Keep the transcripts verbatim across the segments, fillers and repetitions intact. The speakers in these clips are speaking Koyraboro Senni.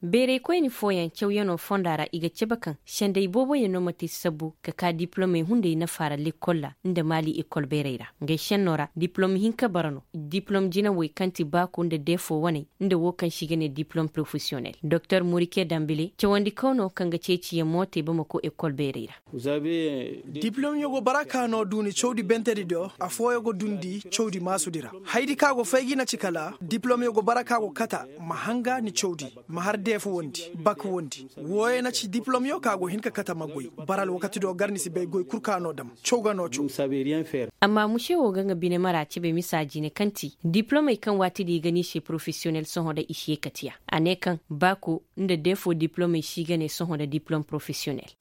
Bayray koyni fooyaŋ cawyanoo fonda ra i ga cabe kaŋ senday booboyaŋ no ma te sabbu ka ka diplomey hunday nafa ra lekkol ra nda maali ekol bayray ra. Ngey šennoo ra diplom hinka bara no, diplom jinawey kaŋ ti baaku nda deefo waney, nda woo kaŋ se i ga ne diplom porofesiyonel doktor morike dambile cawandikaw no kaŋ ga ceeciyaŋ mo te bamako ekol bayray ra. Diplomyo go bara ka no du ni cawdi bentedi do, afooyo go dundi cawdi maasudi ra. Haydi ka go fay gi na ci kala diplomyo go bara ka go kata ma hanga ni cawdi, ma har deefu wondi, bak wondi. Wooyo na ci diplomyo ka go hin ka kata ma goy. Bara alwakati do gar ni si bay goy kul ka no dam, caw ga no caw. Amma muse wo ga nga bine mara cebe misa jine kaŋ ti diplomey kaŋ waati di i ga ni se porofesiyonel sohõ da i si ye katiya. A ne kaŋ baaku nda deefo diplomey si ga ne sohõ nda diplom porofesiyonel.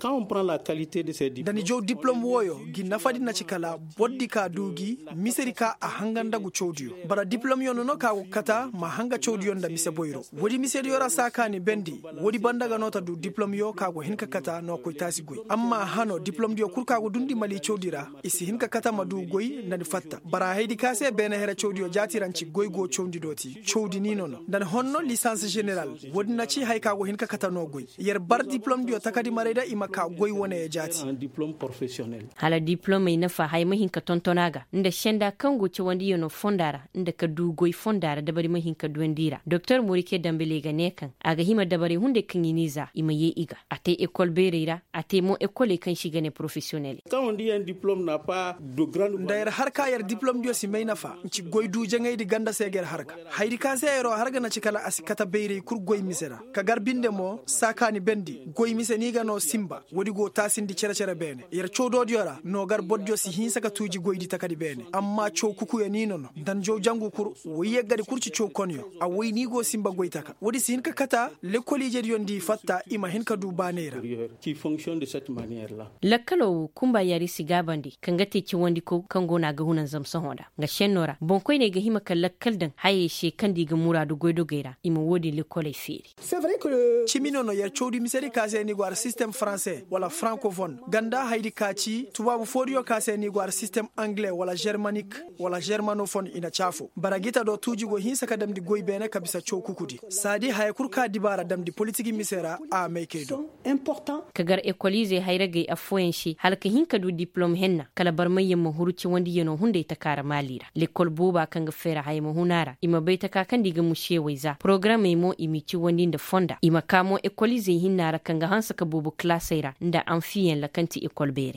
Da ni jaw diplom wooyo gi nafadi na ci kala bordi ka du gi misedi ka a hanga nda gu cawdiyo. Bara diplomyo no no ka go kata ma hanga cawdiyo nda mise boyro. Woodi misediyo ra saakaani bendi. Woodi banda ga no ta du diplomyo ka go hin ka kata no koy taasi goy amma hano diplomdiyo kul ka go dundi mali cawdi ra, i si hin ka kata ma du goy nda ni fatta bara haydi ka se beene here cawdiyo jaati ra nci goy go cawndi do ti cawdi ni no no nda ni honno lisans ženeral. Woodi na ci haya ka go hin ka kata no goy. Yer bar diplomdiyo takadi maray da i ma ka goy wane ya jaati. Hala diplomey nafa haya ma hin ka tonton a ga nda senda kaŋ go cawandiyanoo fonda ra, nda ka du goy fonda ra dabari ma hin ka duwandi i ra doktor morike dambele ga ne kaŋ a ga hima dabarey hunday kaŋ i n'i za i ma yee i ga. A te ekol beerey ra, a te mo ekoley kaŋ se i ga ne porofesiyoneley. Nda yer har ka yer diplomdiyo si may nafa, nci goy du jaŋaydi ganda se ga yer har ga. Hayadi ka se yeroo har ga na ci kala a si kate bayray kul goy mise ra, ka gar binde mo saakaani bendi goy mise no i ga no sinba. Woodi go taasindi cere-cere beene yer cawdoodiyo ra no gar bordiyo si hinsa ka tuuji goydi takadi beene amma caw kukuyo ni no no nda ni jaw jangu kul. Woy yeggadi kul ci caw konyo a woy ni go sinba goy taka woodi si hin ka kata. Lekkol ijediyo nda i fatta i ma hin ka du baaney ra. Lakkalo wo kunba yari si gaabandi kaŋ ga te cawandiko kaŋ go no a ga hunanzam sohõ nda nga šenno ra boŋkoyney ga hima ka lakkal daŋ hayey se kaŋ nda i ga muraadu goydogey ra i ma wo-din lekkoley feeri. Cimi no no yer cawdi misedi ka se ni go har sistem faranse wala frankofon ganda haydi ka ci tubaabu foodiyo ka se ni go har sistem angle wala žermanik wala žermanofon i na caafo bara gita do tuuji go hinsa ka damndi goy beene ka bisa caw kukudi saadi haya kul ka dibaara damndi politigi mise ra a maykey do. Ka gar ekoliizey hayragey affooyaŋ se hala ka hin ka du diplom henna kala barmayyaŋ ma huru cawandiyano hunday taka ra maali ra lekkol booba kaŋ ga feera haya ma hun a ra i ma bay taka kaŋ nda i ga mušiyawey za porogaramey mo i m'i cawandi nda fonda i ma kaa mo ekoliizey hinna ra kaŋ ga hanse ka boobo kalaasey ra nda anfiyaŋ ra kaŋ ti ekol beerey.